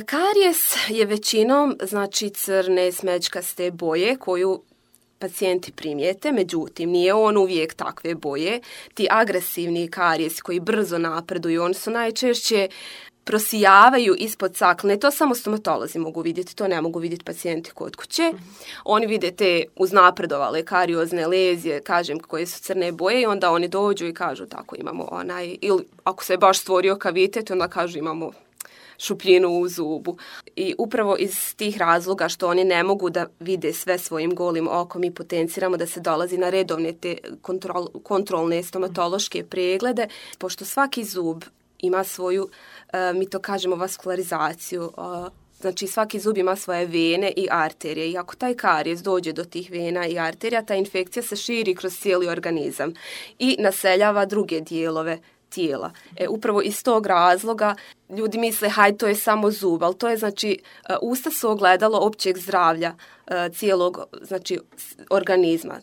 Karijes je većinom znači crne smeđkaste boje koju pacijenti primijete, međutim nije on uvijek takve boje. Ti agresivni karijesi koji brzo napreduju, oni su najčešće prosijavaju ispod cakle. To samo stomatolozi mogu vidjeti, to ne mogu vidjeti pacijenti kod kuće. Oni vide te uznapredovale kariozne lezije, kažem, koje su crne boje i onda oni dođu i kažu tako imamo onaj, ili ako se baš stvorio kavitet, onda kažu imamo šupljinu u zubu. I upravo iz tih razloga što oni ne mogu da vide sve svojim golim okom i potenciramo da se dolazi na redovne te kontrolne stomatološke preglede, pošto svaki zub ima svoju, mi to kažemo, vaskularizaciju. Znači svaki zub ima svoje vene i arterije i ako taj karijes dođe do tih vena i arterija, ta infekcija se širi kroz cijeli organizam i naseljava druge dijelove tijela. Upravo iz tog razloga ljudi misle haj to je samo zub, ali to je znači usta su ogledalo općeg zdravlja cijelog znači organizma.